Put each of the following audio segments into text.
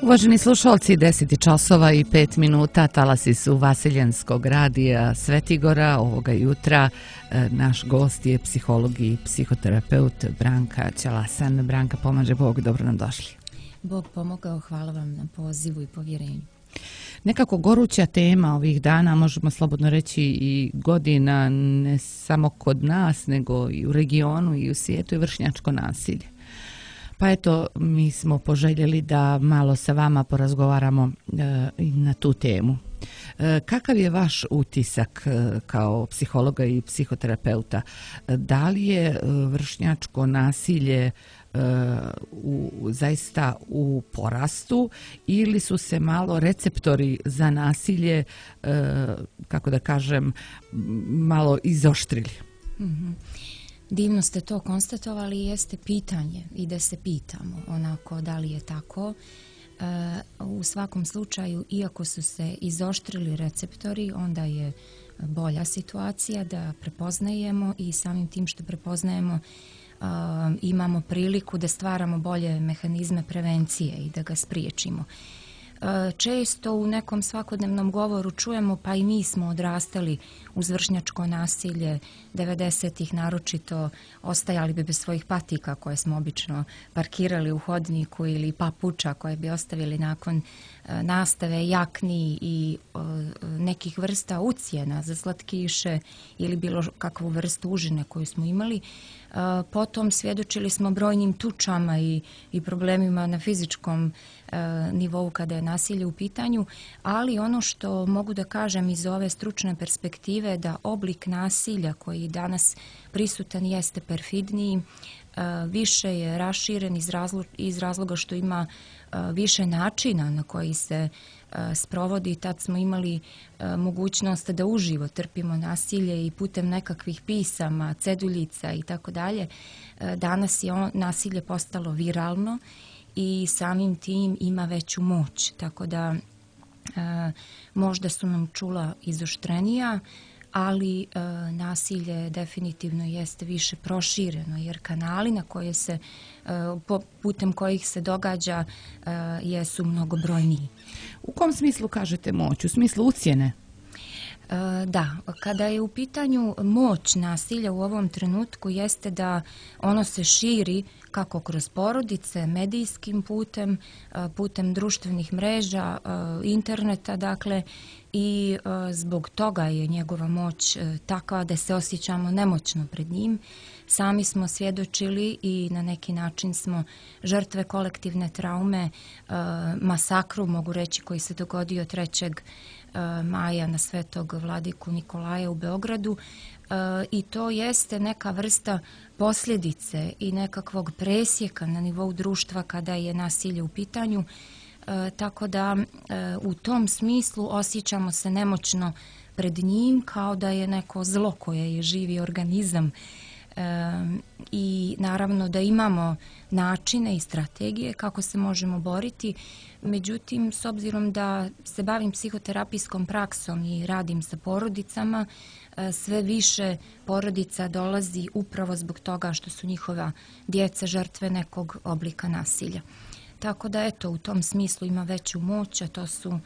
Uvaženi slušalci, 10 časova i 5 minuta, talasi su Vasiljenskog radija Svetigora. Ovoga jutra naš gost je psiholog i psihoterapeut Branka Ćalasan. Branka, pomaže Bog, dobro nam došli. Bog pomogao, hvala vam na pozivu i povjerenju. Nekako goruća tema ovih dana, možemo slobodno reći i godina, ne samo kod nas, nego i u regionu i u svijetu, je vršnjačko nasilje. Pa eto, mi smo poželjeli da malo sa vama porazgovaramo na tu temu. Kakav je vaš utisak kao psihologa i psihoterapeuta? Da li je vršnjačko nasilje zaista u porastu ili su se malo receptori za nasilje, kako da kažem, malo izoštrili? Divno ste to konstatovali i jeste pitanje i da se pitamo onako da li je tako. U svakom slučaju, iako su se izoštrili receptori, onda je bolja situacija da prepoznajemo i samim tim što prepoznajemo imamo priliku da stvaramo bolje mehanizme prevencije i da ga spriječimo. Često u nekom svakodnevnom govoru čujemo, pa i mi smo odrastali uz vršnjačko nasilje 90-ih, naročito ostajali bi bez svojih patika koje smo obično parkirali u hodniku ili papuča koje bi ostavili nakon nastave, jakni i nekih vrsta ucjena za slatkiše ili bilo kakvu vrstu užine koju smo imali. Potom svjedočili smo brojnim tučama i problemima na fizičkom nivou kada je nasilje u pitanju, ali ono što mogu da kažem iz ove stručne perspektive da oblik nasilja koji danas prisutan jeste perfidniji, više je raširen iz razloga što ima više načina na koji se sprovodi. Tad smo imali mogućnost da uživo trpimo nasilje i putem nekakvih pisama, ceduljica i tako dalje. Danas je nasilje postalo viralno i samim tim ima veću moć, tako da možda su nam čula izoštrenija, ali nasilje definitivno jeste više prošireno, jer kanali na koje se, putem kojih se događa jesu mnogobrojniji. U kom smislu kažete moć? U smislu ucjene? Da, kada je u pitanju moć nasilja u ovom trenutku jeste da ono se širi kako kroz porodice, medijskim putem društvenih mreža, interneta, dakle, i zbog toga je njegova moć takva da se osjećamo nemoćno pred njim. Sami smo svjedočili i na neki način smo žrtve kolektivne traume, masakru, mogu reći, koji se dogodio 3. maja na Svetog Vladiku Nikolaja u Beogradu, i to jeste neka vrsta posljedice i nekakvog presjeka na nivou društva kada je nasilje u pitanju, tako da u tom smislu osjećamo se nemoćno pred njim kao da je neko zlo koje je živi organizam. I naravno da imamo načine i strategije kako se možemo boriti, međutim s obzirom da se bavim psihoterapijskom praksom i radim sa porodicama, sve više porodica dolazi upravo zbog toga što su njihova djeca žrtve nekog oblika nasilja. Tako da eto, u tom smislu ima veću moć, a to su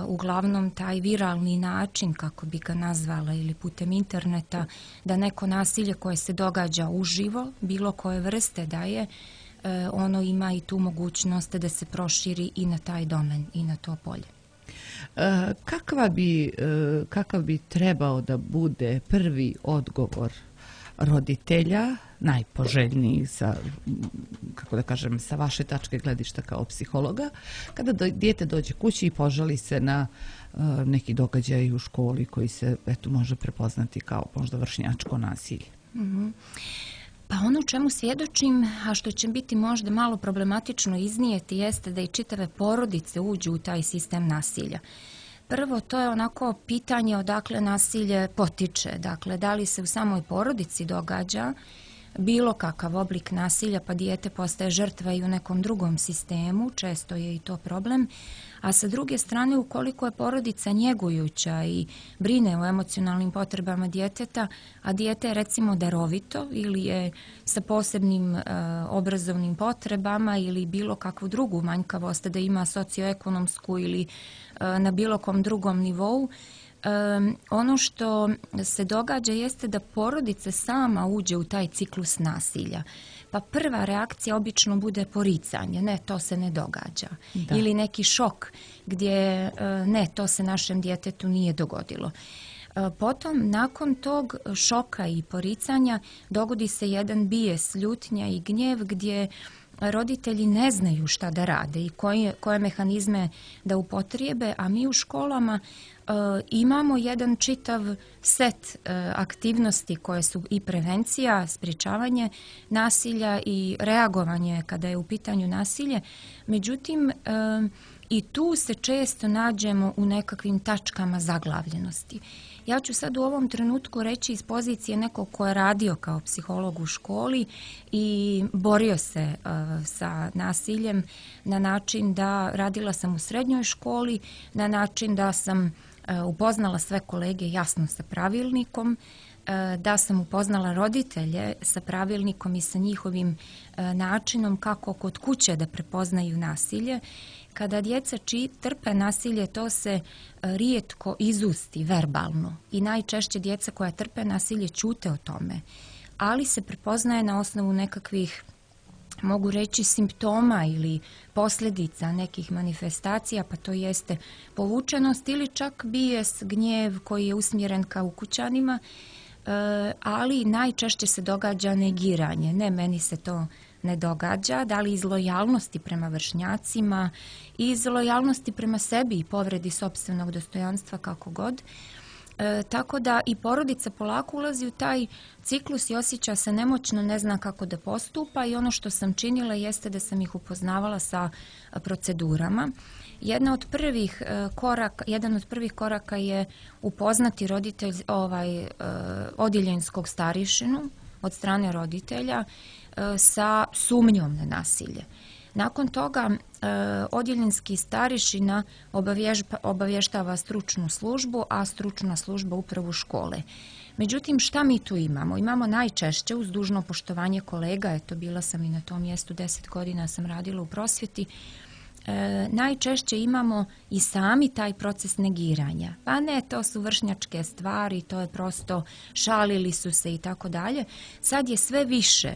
uglavnom taj viralni način, kako bi ga nazvala, ili putem interneta, da neko nasilje koje se događa uživo, bilo koje vrste da je, ono ima i tu mogućnost da se proširi i na taj domen i na to polje. Kakav bi trebao da bude prvi odgovor roditelja, najpoželjniji sa vaše tačke gledišta kao psihologa, kada dijete dođe kući i požali se na neki događaj u školi koji se može prepoznati kao možda vršnjačko nasilje? Pa ono čemu svjedočim, a što će biti možda malo problematično iznijeti, jeste da i čitave porodice uđu u taj sistem nasilja. Prvo, to je onako pitanje odakle nasilje potiče. Dakle, da li se u samoj porodici događa, bilo kakav oblik nasilja, pa dijete postaje žrtva i u nekom drugom sistemu, često je i to problem. A sa druge strane, ukoliko je porodica njegujuća i brine o emocionalnim potrebama djeteta, a dijete je recimo darovito ili je sa posebnim obrazovnim potrebama ili bilo kakvu drugu manjkavost da ima socioekonomsku ili na bilo kom drugom nivou, ono što se događa jeste da porodica sama uđe u taj ciklus nasilja. Pa prva reakcija obično bude poricanje, ne, to se ne događa. Da. Ili neki šok gdje ne, to se našem djetetu nije dogodilo. Potom, nakon tog šoka i poricanja, dogodi se jedan bijes, ljutnja i gnjev gdje roditelji ne znaju šta da rade i koje mehanizme da upotrijebe, a mi u školama imamo jedan čitav set aktivnosti koje su i prevencija, sprječavanje nasilja i reagovanje kada je u pitanju nasilje. Međutim, i tu se često nađemo u nekakvim tačkama zaglavljenosti. Ja ću sad u ovom trenutku reći iz pozicije nekog ko je radio kao psiholog u školi i borio se sa nasiljem na način da radila sam u srednjoj školi, na način da sam upoznala sve kolege jasno sa pravilnikom, da sam upoznala roditelje sa pravilnikom i sa njihovim načinom kako kod kuće da prepoznaju nasilje. Kada djeca trpe nasilje, to se rijetko izusti verbalno i najčešće djeca koja trpe nasilje ćute o tome, ali se prepoznaje na osnovu nekakvih, mogu reći, simptoma ili posljedica nekih manifestacija, pa to jeste povučenost ili čak bijes, gnjev koji je usmjeren ka ukućanima, ali najčešće se događa negiranje. Ne, meni se to ne događa, da li iz lojalnosti prema vršnjacima, iz lojalnosti prema sebi i povredi sopstvenog dostojanstva, kako god. Tako da i porodica polako ulazi u taj ciklus i osjeća se nemoćno, ne zna kako da postupa i ono što sam činila jeste da sam ih upoznavala sa procedurama. Jedan od prvih koraka je upoznati odjeljenskog starješinu od strane roditelja sa sumnjom na nasilje. Nakon toga odjeljenski starješina obavještava stručnu službu, a stručna služba upravu škole. Međutim, šta mi tu imamo? Imamo najčešće, uz dužno poštovanje kolega, eto bila sam i na tom mjestu, 10 godina sam radila u prosvjeti, najčešće imamo i sami taj proces negiranja. Pa ne, to su vršnjačke stvari, to je prosto šalili su se i tako dalje. Sad je sve više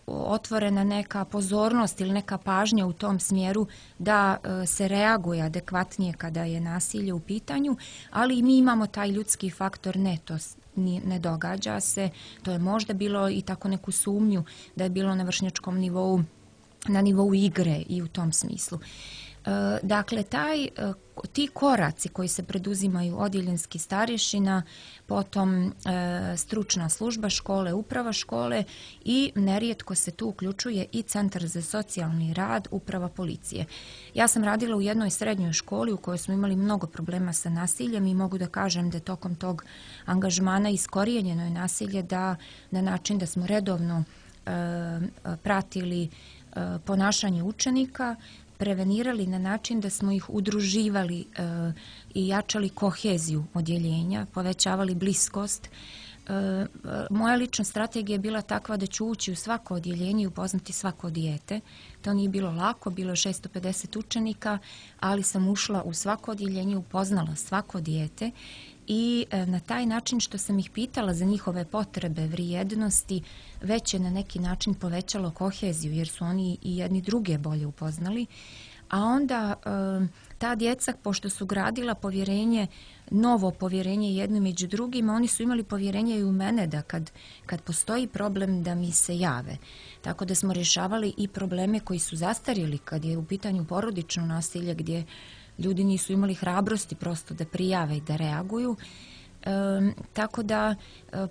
otvorena neka pozornost ili neka pažnja u tom smjeru da se reaguje adekvatnije kada je nasilje u pitanju, ali i mi imamo taj ljudski faktor, ne, to ne događa se, to je možda bilo i tako neku sumnju da je bilo na vršnjačkom nivou, na nivou igre i u tom smislu. Dakle, ti koraci koji se preduzimaju odjeljenski starješina, potom stručna služba škole, uprava škole i nerijetko se tu uključuje i Centar za socijalni rad, uprava policije. Ja sam radila u jednoj srednjoj školi u kojoj smo imali mnogo problema sa nasiljem i mogu da kažem da tokom tog angažmana iskorijenjeno je nasilje na način da smo redovno pratili ponašanje učenika, prevenirali na način da smo ih udruživali i jačali koheziju odjeljenja, povećavali bliskost. Moja lična strategija je bila takva da ću ući u svako odjeljenje i upoznati svako dijete. To nije bilo lako, bilo je 650 učenika, ali sam ušla u svako odjeljenje, upoznala svako dijete i na taj način što sam ih pitala za njihove potrebe, vrijednosti, već je na neki način povećalo koheziju jer su oni i jedni druge bolje upoznali. A onda ta djeca, pošto su gradila povjerenje, novo povjerenje jedno među drugima, oni su imali povjerenje i u mene da kad postoji problem da mi se jave. Tako da smo rješavali i probleme koji su zastarjeli kad je u pitanju porodično nasilje gdje ljudi nisu imali hrabrosti prosto da prijave i da reaguju. Tako da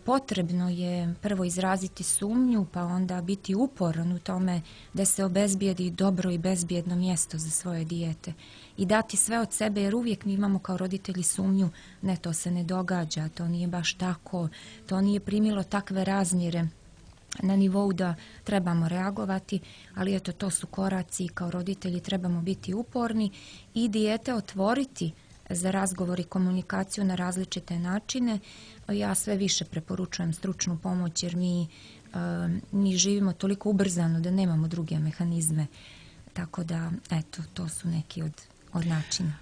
potrebno je prvo izraziti sumnju, pa onda biti uporan u tome da se obezbijedi dobro i bezbjedno mjesto za svoje dijete i dati sve od sebe, jer uvijek mi imamo kao roditelji sumnju, ne, to se ne događa, to nije baš tako, to nije primilo takve razmjere na nivou da trebamo reagovati, ali eto, to su koraci i kao roditelji trebamo biti uporni i dijete otvoriti za razgovor i komunikaciju na različite načine. Ja sve više preporučujem stručnu pomoć jer mi živimo toliko ubrzano da nemamo druge mehanizme. Tako da, eto, to su neki od načina.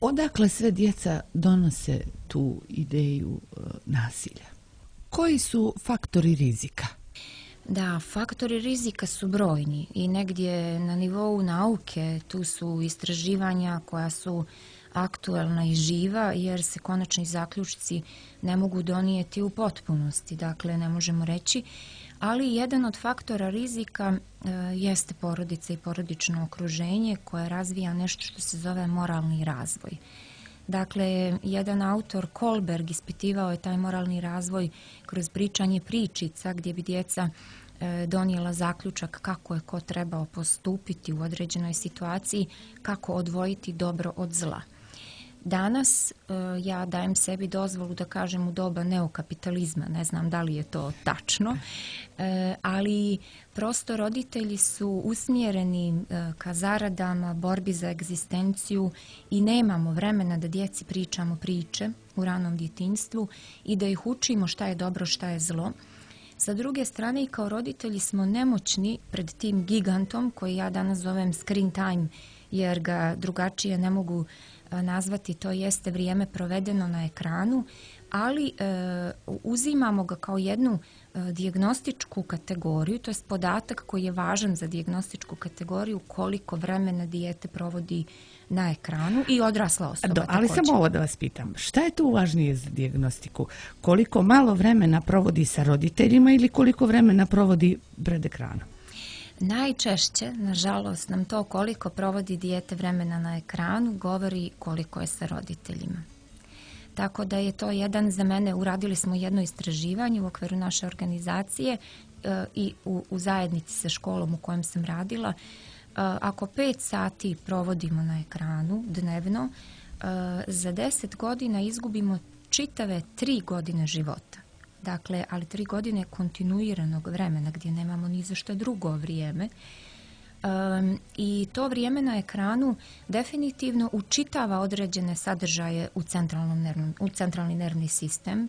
Odakle sve djeca donose tu ideju nasilja? Koji su faktori rizika? Da, faktori rizika su brojni i negdje na nivou nauke tu su istraživanja koja su aktuelna i živa jer se konačni zaključci ne mogu donijeti u potpunosti, dakle ne možemo reći, ali jedan od faktora rizika jeste porodica i porodično okruženje koje razvija nešto što se zove moralni razvoj. Dakle, jedan autor, Kohlberg, ispitivao je taj moralni razvoj kroz pričanje pričica gdje bi djeca donijela zaključak kako je ko trebao postupiti u određenoj situaciji, kako odvojiti dobro od zla. Danas ja dajem sebi dozvolu da kažem u doba neokapitalizma, ne znam da li je to tačno, ali prosto roditelji su usmjereni ka zaradama, borbi za egzistenciju i nemamo vremena da djeci pričamo priče u ranom djetinjstvu i da ih učimo šta je dobro, šta je zlo. Sa druge strane i kao roditelji smo nemoćni pred tim gigantom koji ja danas zovem screen time jer ga drugačije ne mogu nazvati, to jeste vrijeme provedeno na ekranu, ali uzimamo ga kao jednu dijagnostičku kategoriju, to je podatak koji je važan za dijagnostičku kategoriju koliko vremena dijete provodi na ekranu i odrasla osoba. Ali samo ovo da vas pitam, šta je tu važnije za dijagnostiku? Koliko malo vremena provodi sa roditeljima ili koliko vremena provodi pred ekranom? Najčešće, nažalost, nam to koliko provodi dijete vremena na ekranu govori koliko je sa roditeljima. Tako da je to jedan za mene, uradili smo jedno istraživanje u okviru naše organizacije i u zajednici sa školom u kojem sam radila. Ako 5 sati provodimo na ekranu dnevno, za 10 godina izgubimo čitave 3 godine života. Dakle, ali 3 godine kontinuiranog vremena gdje nemamo ni za što drugo vrijeme. I to vrijeme na ekranu definitivno učitava određene sadržaje u centralni nervni sistem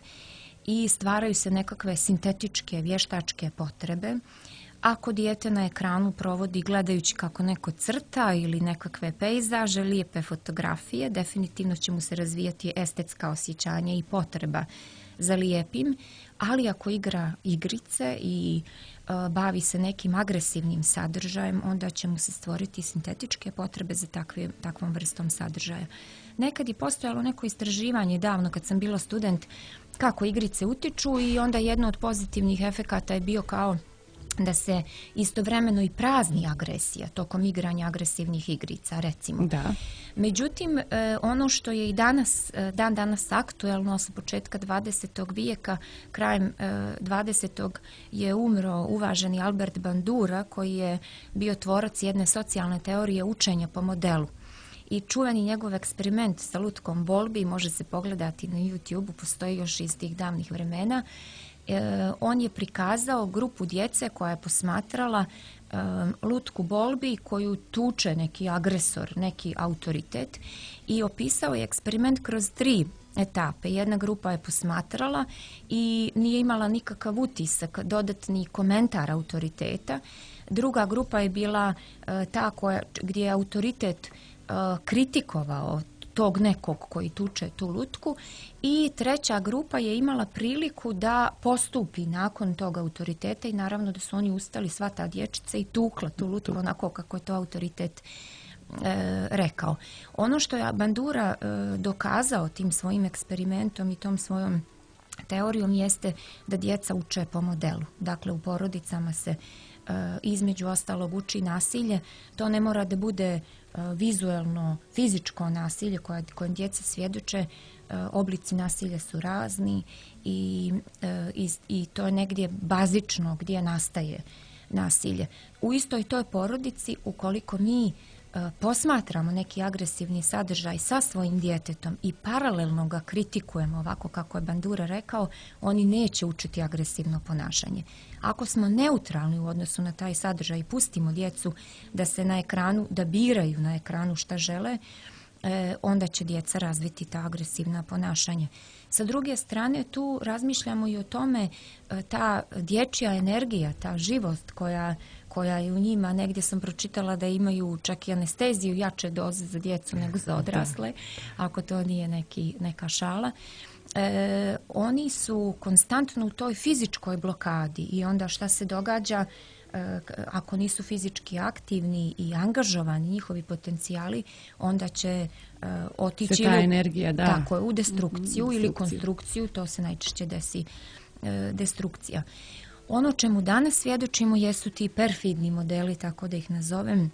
i stvaraju se nekakve sintetičke, vještačke potrebe. Ako dijete na ekranu provodi gledajući kako neko crta ili nekakve pejzaže, lijepe fotografije, definitivno će mu se razvijati estetska osjećanja i potreba za lijepim, ali ako igra igrice i bavi se nekim agresivnim sadržajem, onda će mu se stvoriti sintetičke potrebe za takvom vrstom sadržaja. Nekad je postojalo neko istraživanje davno kad sam bila student kako igrice utiču i onda jedno od pozitivnih efekata je bio kao da se istovremeno i prazni agresija tokom igranja agresivnih igrica, recimo. Da. Međutim, ono što je i danas aktuelno sa početka 20. vijeka, krajem 20. je umro uvaženi Albert Bandura koji je bio tvorac jedne socijalne teorije učenja po modelu. I čuveni njegov eksperiment sa lutkom Bolbi može se pogledati na YouTube, postoji još iz tih davnih vremena. On je prikazao grupu djece koja je posmatrala lutku Bolbi koju tuče neki agresor, neki autoritet i opisao je eksperiment kroz 3 etape. Jedna grupa je posmatrala i nije imala nikakav utisak, dodatni komentar autoriteta. Druga grupa je bila ta gdje je autoritet kritikovao tog nekog koji tuče tu lutku i treća grupa je imala priliku da postupi nakon tog autoriteta i naravno da su oni ustali sva ta dječica i tukla tu lutku onako kako je to autoritet rekao. Ono što je Bandura dokazao tim svojim eksperimentom i tom svojom teorijom jeste da djeca uče po modelu. Dakle, u porodicama se između ostalog uči nasilje. To ne mora da bude vizuelno, fizičko nasilje kojem djeca svjedoče. Oblici nasilja su razni i to je negdje bazično gdje nastaje nasilje. U istoj toj porodici, ukoliko mi posmatramo neki agresivni sadržaj sa svojim djetetom i paralelno ga kritikujemo, ovako kako je Bandura rekao, oni neće učiti agresivno ponašanje. Ako smo neutralni u odnosu na taj sadržaj i pustimo djecu da se na ekranu, da biraju na ekranu šta žele, onda će djeca razviti ta agresivna ponašanja. Sa druge strane, tu razmišljamo i o tome, ta dječja energija, ta živost koja je u njima, negdje sam pročitala da imaju čak i anesteziju jače doze za djecu nego za odrasle, ako to nije neka šala. Oni su konstantno u toj fizičkoj blokadi i onda šta se događa ako nisu fizički aktivni i angažovani njihovi potencijali, onda će otići tako, u destrukciju ili konstrukciju, to se najčešće desi destrukcija. Ono čemu danas svjedočimo jesu ti perfidni modeli, tako da ih nazovem,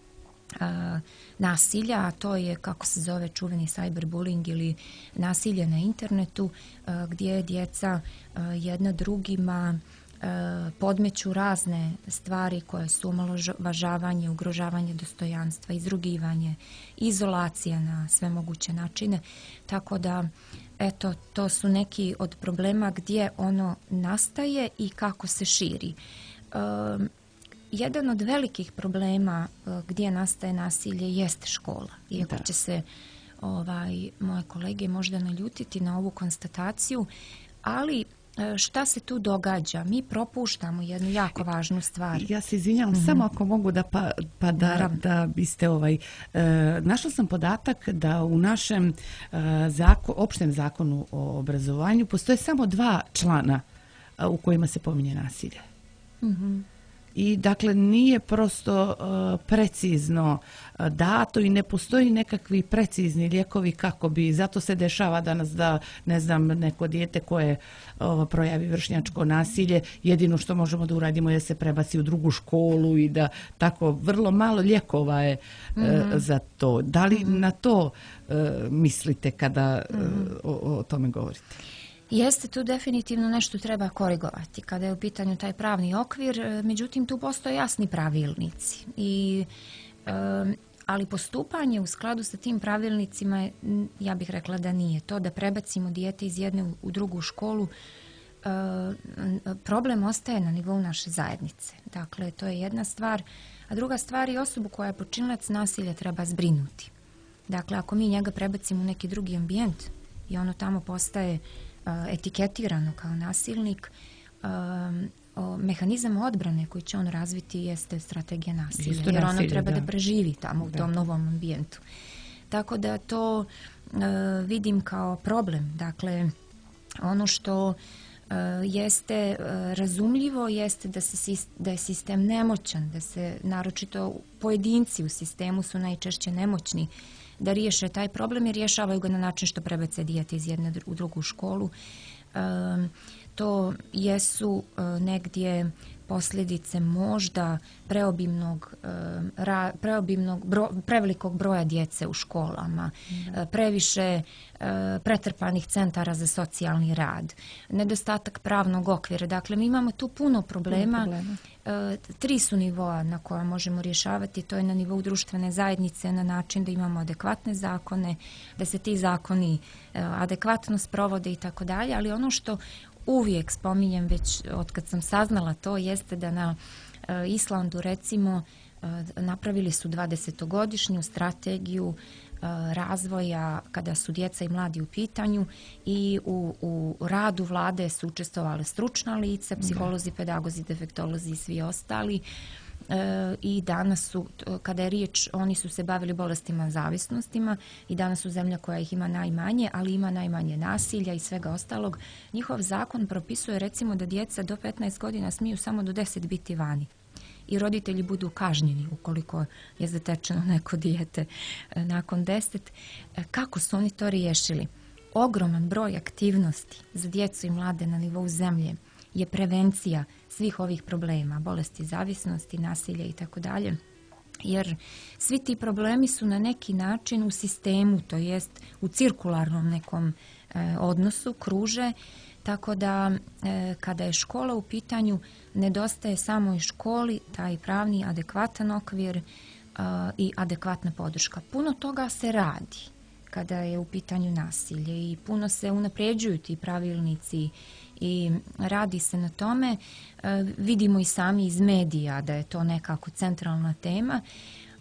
nasilja, a to je, kako se zove, čuveni cyberbullying ili nasilje na internetu, gdje djeca jedna drugima podmeću razne stvari koje su omalovažavanje, ugrožavanje dostojanstva, izrugivanje, izolacija na sve moguće načine. Tako da, eto, to su neki od problema gdje ono nastaje i kako se širi. Jedan od velikih problema gdje nastaje nasilje jest škola. Iako će se moje kolege možda naljutiti na ovu konstataciju, ali šta se tu događa? Mi propuštamo jednu jako važnu stvar. Ja se izvinjavam, samo ako mogu da biste našla sam podatak da u našem opštem zakonu o obrazovanju postoje samo 2 člana u kojima se pominje nasilje. I dakle nije prosto precizno dato i ne postoji nekakvi precizni lijekovi kako bi, zato se dešava danas da, ne znam, neko dijete koje projavi vršnjačko nasilje, jedino što možemo da uradimo je da se prebaci u drugu školu i da tako vrlo malo lijekova je za to. Da li na to mislite kada o tome govorite? Jeste, tu definitivno nešto treba korigovati kada je u pitanju taj pravni okvir, međutim tu postoje jasni pravilnici. Ali postupanje u skladu sa tim pravilnicima, ja bih rekla da nije to, da prebacimo dijete iz jedne u drugu školu, problem ostaje na nivou naše zajednice. Dakle, to je jedna stvar. A druga stvar je osobu koja je počinilac nasilja treba zbrinuti. Dakle, ako mi njega prebacimo u neki drugi ambijent i ono tamo postaje etiketirano kao nasilnik, mehanizam odbrane koji će on razviti jeste strategija nasilja, jer ono treba da preživi tamo u tom novom ambijentu. Tako da to vidim kao problem. Dakle, ono što jeste razumljivo jeste da je sistem nemoćan, da se naročito pojedinci u sistemu su najčešće nemoćni da riješe taj problem i rješavaju ga na način što prebace dijete iz jedne u drugu školu. To jesu negdje posljedice možda prevelikog broja djece u školama, previše pretrpanih centara za socijalni rad, nedostatak pravnog okvira. Dakle, mi imamo tu puno problema. 3 su nivoa na koja možemo rješavati. To je na nivou društvene zajednice na način da imamo adekvatne zakone, da se ti zakoni adekvatno sprovode i tako dalje, ali ono što uvijek spominjem već od kad sam saznala to jeste da na Islandu recimo napravili su 20-godišnju strategiju razvoja kada su djeca i mladi u pitanju i u radu vlade su učestvovale stručna lica, psiholozi, pedagozi, defektolozi i svi ostali. I danas su, kada je riječ, oni su se bavili bolestima, zavisnostima i danas su zemlja koja ih ima najmanje, ali ima najmanje nasilja i svega ostalog. Njihov zakon propisuje recimo da djeca do 15 godina smiju samo do 10 biti vani i roditelji budu kažnjeni ukoliko je zatečeno neko dijete nakon 10. Kako su oni to riješili? Ogroman broj aktivnosti za djecu i mlade na nivou zemlje je prevencija svih ovih problema, bolesti, zavisnosti, nasilja i tako dalje. Jer svi ti problemi su na neki način u sistemu, to jest u cirkularnom nekom odnosu, kruže, tako da kada je škola u pitanju, nedostaje samo i školi taj pravni adekvatan okvir, i adekvatna podrška. Puno toga se radi kada je u pitanju nasilje i puno se unapređuju ti pravilnici i radi se na tome. Vidimo i sami iz medija da je to nekako centralna tema,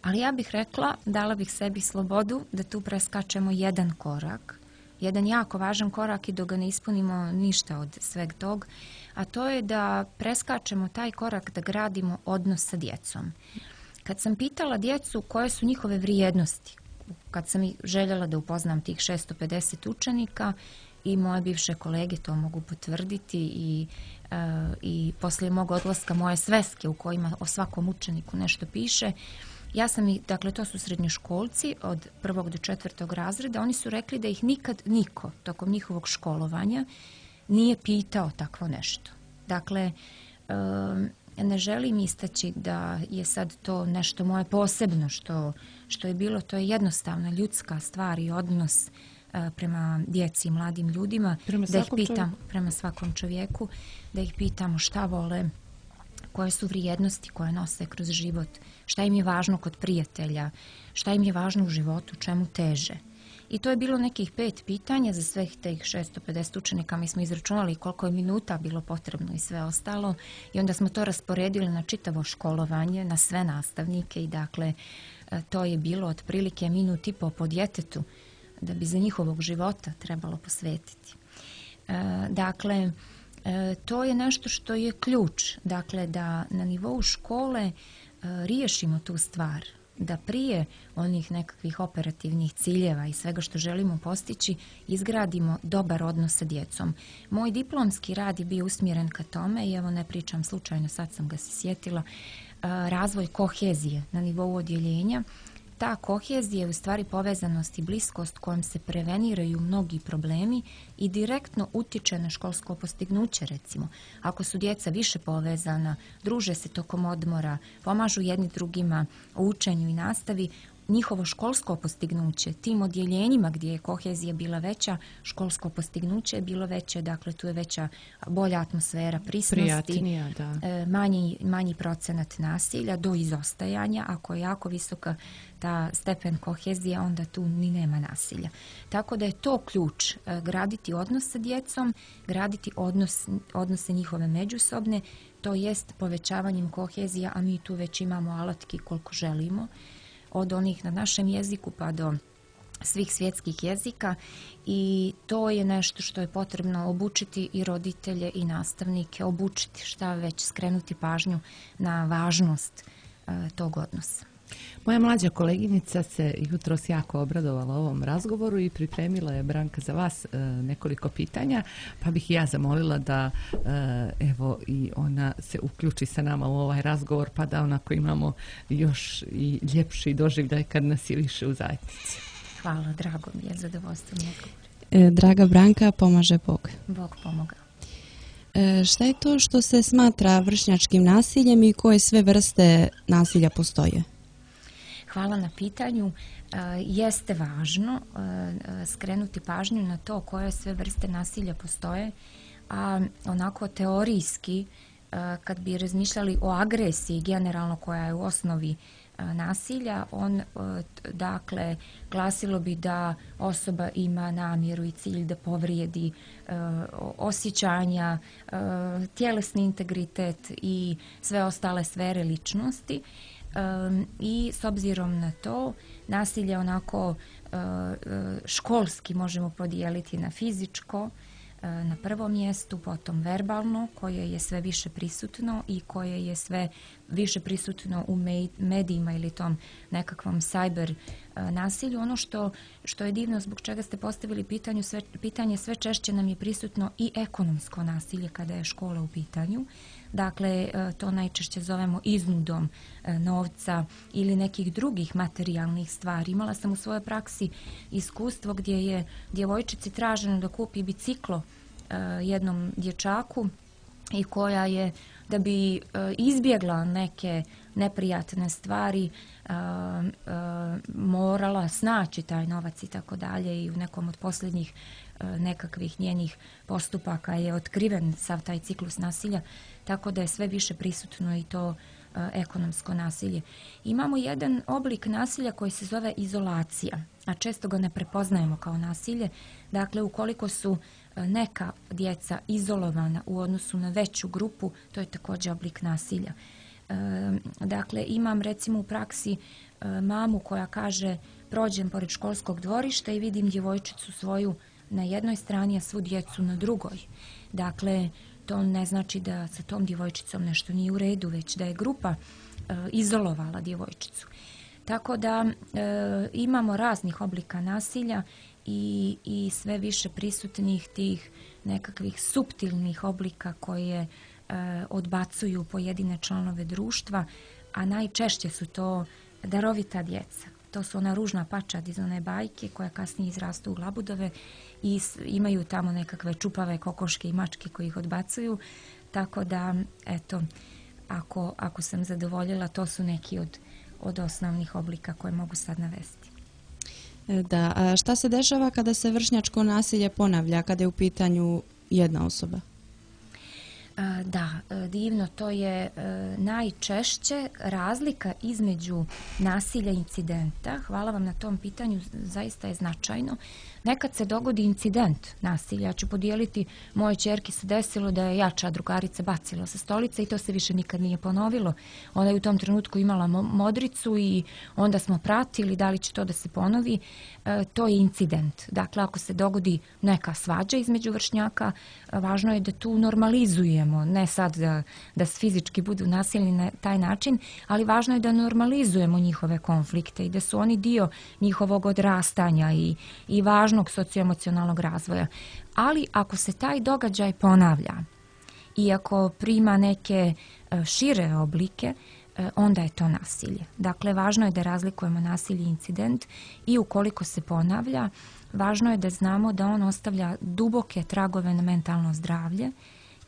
ali ja bih rekla, dala bih sebi slobodu da tu preskačemo jedan korak, jedan jako važan korak i dok ga ne ispunimo ništa od sveg tog, a to je da preskačemo taj korak da gradimo odnos sa djecom. Kad sam pitala djecu koje su njihove vrijednosti, kad sam željela da upoznam tih 650 učenika i moje bivše kolege to mogu potvrditi i poslije mog odlaska moje sveske u kojima o svakom učeniku nešto piše, ja sam dakle to su srednjoškolci od 1. do 4. razreda, oni su rekli da ih nikad niko tokom njihovog školovanja nije pitao takvo nešto. Dakle, ne želim istaći da je sad to nešto moje posebno što je bilo, to je jednostavna ljudska stvar i odnos prema djeci i mladim ljudima, prema svakom čovjeku, da ih pitamo šta vole, koje su vrijednosti koje nose kroz život, šta im je važno kod prijatelja, šta im je važno u životu, čemu teže. I to je bilo nekih 5 pitanja za svih tih 650 učenika. Mi smo izračunali koliko je minuta bilo potrebno i sve ostalo i onda smo to rasporedili na čitavo školovanje, na sve nastavnike i dakle to je bilo otprilike minut i po djetetu da bi za njihovog života trebalo posvetiti. Dakle, to je nešto što je ključ, dakle da na nivou škole riješimo tu stvar, da prije onih nekakvih operativnih ciljeva i svega što želimo postići izgradimo dobar odnos sa djecom. Moj diplomski rad je bio usmjeren ka tome i evo ne pričam slučajno, sad sam ga se sjetila, razvoj kohezije na nivou odjeljenja. Ta kohezija je u stvari povezanost i bliskost kojom se preveniraju mnogi problemi i direktno utječe na školsko postignuće, recimo. Ako su djeca više povezana, druže se tokom odmora, pomažu jedni drugima u učenju i nastavi, njihovo školsko postignuće, tim odjeljenjima gdje je kohezija bila veća, školsko postignuće je bilo veće, dakle tu je veća, bolja atmosfera prisnosti, manji procenat nasilja do izostajanja. Ako je jako visoka ta stepen kohezije, onda tu ni nema nasilja. Tako da je to ključ, graditi odnos sa djecom, graditi odnose njihove međusobne, to jest povećavanjem kohezija, a mi tu već imamo alatki koliko želimo, od onih na našem jeziku pa do svih svjetskih jezika i to je nešto što je potrebno obučiti i roditelje i nastavnike, obučiti šta već, skrenuti pažnju na važnost tog odnosa. Moja mlađa koleginica se jutros jako obradovala ovom razgovoru i pripremila je, Branka, za vas nekoliko pitanja, pa bih ja zamolila da evo i ona se uključi sa nama u ovaj razgovor, pa da onako imamo još i ljepši doživljaj kad nas je više u zajednici. Hvala, drago mi je, zadovoljstvo mi Draga Branka, pomaže Bog. Bog pomogao. Šta je to što se smatra vršnjačkim nasiljem i koje sve vrste nasilja postoje? Hvala na pitanju. Jeste važno skrenuti pažnju na to koje sve vrste nasilja postoje, a onako teorijski kad bi razmišljali o agresiji generalno koja je u osnovi nasilja, dakle glasilo bi da osoba ima namjeru i cilj da povrijedi osjećanja, tjelesni integritet i sve ostale sfere ličnosti. I s obzirom na to nasilje onako školski možemo podijeliti na fizičko na prvom mjestu, potom verbalno koje je sve više prisutno i koje je sve više prisutno u medijima ili tom nekakvom cyber nasilju. Ono što je divno, zbog čega ste postavili pitanje, sve češće nam je prisutno i ekonomsko nasilje kada je škola u pitanju. Dakle, to najčešće zovemo iznudom novca ili nekih drugih materijalnih stvari. Imala sam u svojoj praksi iskustvo gdje je djevojčici traženo da kupi biciklo jednom dječaku i koja je, da bi izbjegla neke neprijatne stvari, morala snaći taj novac i tako dalje i u nekom od posljednjih nekakvih njenih postupaka je otkriven sav taj ciklus nasilja, tako da je sve više prisutno i to ekonomsko nasilje. Imamo jedan oblik nasilja koji se zove izolacija, a često ga ne prepoznajemo kao nasilje. Dakle, ukoliko su neka djeca izolovana u odnosu na veću grupu, to je također oblik nasilja. Dakle, imam recimo u praksi mamu koja kaže prođem pored školskog dvorišta i vidim djevojčicu svoju na jednoj strani, a svu djecu na drugoj. Dakle, to ne znači da sa tom djevojčicom nešto nije u redu, već da je grupa izolovala djevojčicu. Tako da imamo raznih oblika nasilja i sve više prisutnih tih nekakvih suptilnih oblika koje odbacuju pojedine članove društva, a najčešće su to darovita djeca. To su ona ružna pačad iz one bajke koja kasnije izrastu u labudove i imaju tamo nekakve čupave kokoške i mačke koji ih odbacuju. Tako da, eto, ako sam zadovoljila, to su neki od osnovnih oblika koje mogu sad navesti. Da, a šta se dešava kada se vršnjačko nasilje ponavlja, kada je u pitanju jedna osoba? Da, divno, to je najčešće razlika između nasilja i incidenta. Hvala vam na tom pitanju, zaista je značajno. Nekad se dogodi incident nasilja. Ja ću podijeliti, mojoj ćerki se desilo da je jača drugarica bacila sa stolice i to se više nikad nije ponovilo. Ona je u tom trenutku imala modricu i onda smo pratili da li će to da se ponovi. To je incident. Dakle, ako se dogodi neka svađa između vršnjaka, važno je da tu normalizujemo, ne sad da fizički budu nasilni na taj način, ali važno je da normalizujemo njihove konflikte i da su oni dio njihovog odrastanja i važnog socioemocionalnog razvoja. Ali ako se taj događaj ponavlja i ako prima neke šire oblike, onda je to nasilje. Dakle, važno je da razlikujemo nasilje i incident i ukoliko se ponavlja, važno je da znamo da on ostavlja duboke tragove na mentalno zdravlje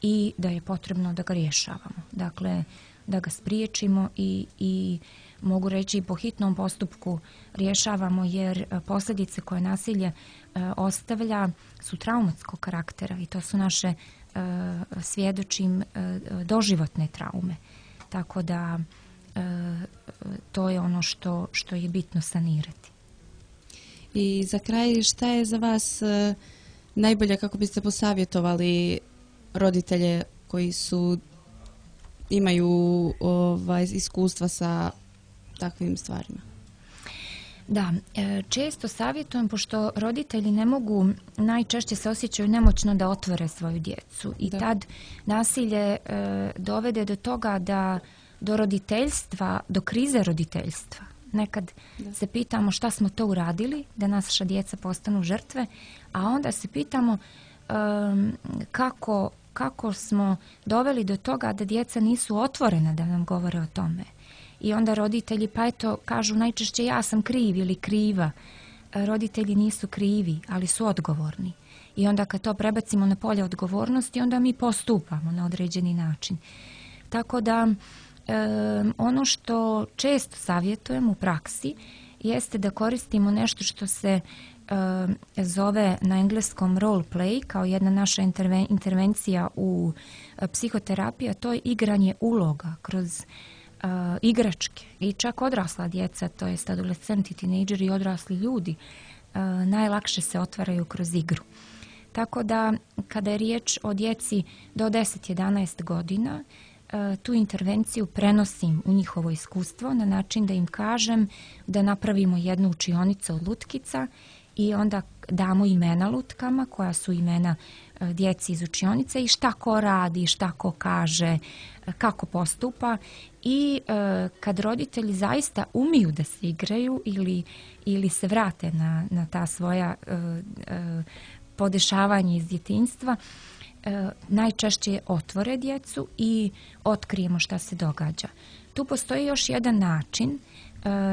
i da je potrebno da ga rješavamo. Dakle, da ga spriječimo i mogu reći i po hitnom postupku rješavamo jer posljedice koje nasilje ostavlja su traumatskog karaktera i to su naše, svjedočim, doživotne traume. Tako da to je ono što je bitno sanirati. I za kraj, šta je za vas najbolje kako biste posavjetovali roditelje koji imaju iskustva sa takvim stvarima? Da, često savjetujem, pošto roditelji ne mogu, najčešće se osjećaju nemoćno da otvore svoju djecu i tad nasilje dovede do toga do roditeljstva, do krize roditeljstva. Nekad se pitamo šta smo to uradili da naša djeca postanu žrtve, a onda se pitamo kako smo doveli do toga da djeca nisu otvorena da nam govore o tome. I onda roditelji pa eto kažu najčešće ja sam kriv ili kriva. Roditelji nisu krivi, ali su odgovorni. I onda kad to prebacimo na polje odgovornosti, onda mi postupamo na određeni način. Tako da ono što često savjetujem u praksi jeste da koristimo nešto što se zove na engleskom role play, kao jedna naša intervencija u psihoterapiji, a to je igranje uloga kroz igračke i čak odrasla djeca, to jest adolescenti, tinejdžeri i odrasli ljudi, najlakše se otvaraju kroz igru. Tako da kada je riječ o djeci do 10-11 godina, tu intervenciju prenosim u njihovo iskustvo na način da im kažem da napravimo jednu učionicu od lutkica i onda damo imena lutkama koja su imena djeci iz učionice i šta ko radi, šta ko kaže, kako postupa i kad roditelji zaista umiju da se igraju ili se vrate na ta svoja podešavanja iz djetinjstva, najčešće otvore djecu i otkrijemo šta se događa. Tu postoji još jedan način,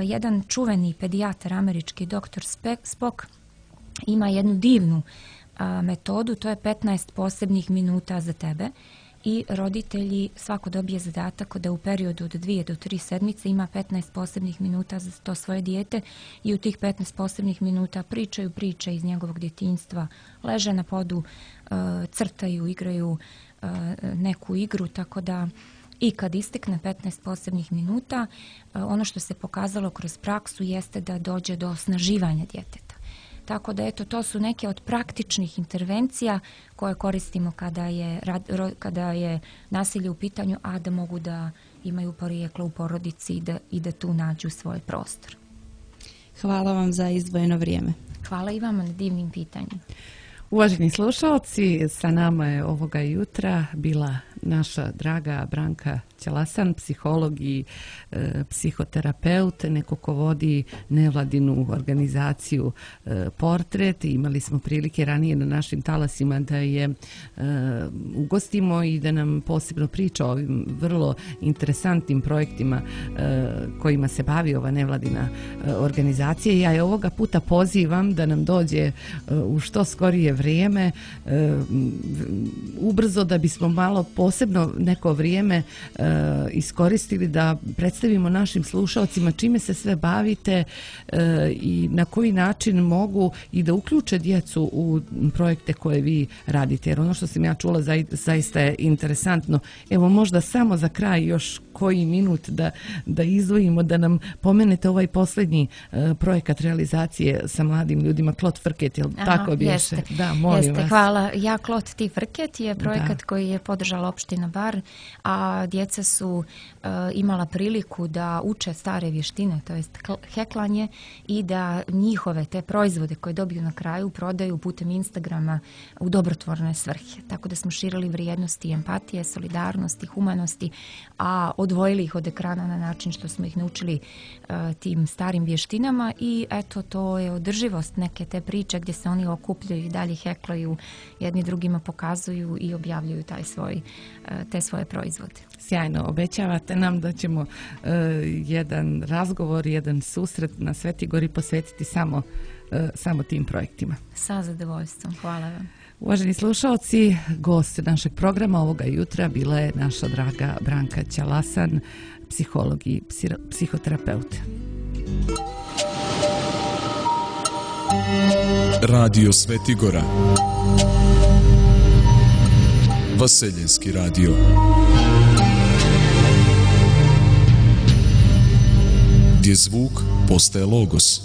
jedan čuveni pedijatar američki, dr. Spock, ima jednu divnu metodu, to je 15 posebnih minuta za tebe i roditelji svako dobije zadatak da u periodu od 2 do 3 sedmice ima 15 posebnih minuta za to svoje dijete i u tih 15 posebnih minuta pričaju priče iz njegovog djetinjstva, leže na podu, crtaju, igraju neku igru, tako da i kad istekne 15 posebnih minuta, ono što se pokazalo kroz praksu jeste da dođe do osnaživanja djeteta. Tako da eto, to su neke od praktičnih intervencija koje koristimo kada je nasilje u pitanju, a da mogu da imaju porijeklo u porodici i da tu nađu svoj prostor. Hvala vam za izdvojeno vrijeme. Hvala i vama na divnim pitanjima. Uvaženi slušalci, sa nama je ovoga jutra bila naša draga Branka Ćalasan, psiholog i psihoterapeut, neko ko vodi nevladinu organizaciju Portret. Imali smo prilike ranije na našim talasima da je ugostimo i da nam posebno priča o ovim vrlo interesantnim projektima kojima se bavi ova nevladina organizacija. Ja je ovoga puta pozivam da nam dođe u što skorije vrijeme, ubrzo, da bismo malo posebno neko vrijeme iskoristili da predstavimo našim slušalcima čime se sve bavite i na koji način mogu i da uključe djecu u projekte koje vi radite. Jer ono što sam ja čula zaista je interesantno. Evo, možda samo za kraj još koji minut da izdvojimo, da nam pomenete ovaj posljednji projekat realizacije sa mladim ljudima, Klot Frket, jel tako biše? Da, molim vas. Hvala. Ja Klot ti Frket je projekat koji je podržala opština Bar, a djeca su imala priliku da uče stare vještine, to jest heklanje, i da njihove te proizvode koje dobiju na kraju prodaju putem Instagrama u dobrotvorne svrhe. Tako da smo širili vrijednosti empatije, solidarnosti, humanosti, a odvojili ih od ekrana na način što smo ih naučili tim starim vještinama i eto, to je održivost neke te priče gdje se oni okupljaju i dalje heklaju, jedni drugima pokazuju i objavljuju te svoje proizvode. Sjajno, obećavate nam da ćemo jedan razgovor, jedan susret na Sveti Gori posvetiti samo tim projektima. Sa zadovoljstvom, hvala vam. Uvaženi slušalci, gost našeg programa ovoga jutra bila je naša draga Branka Ćalasan, psiholog i psihoterapeut. Radio Svetigora, Vaseljenski radio. Gdje zvuk postaje logos.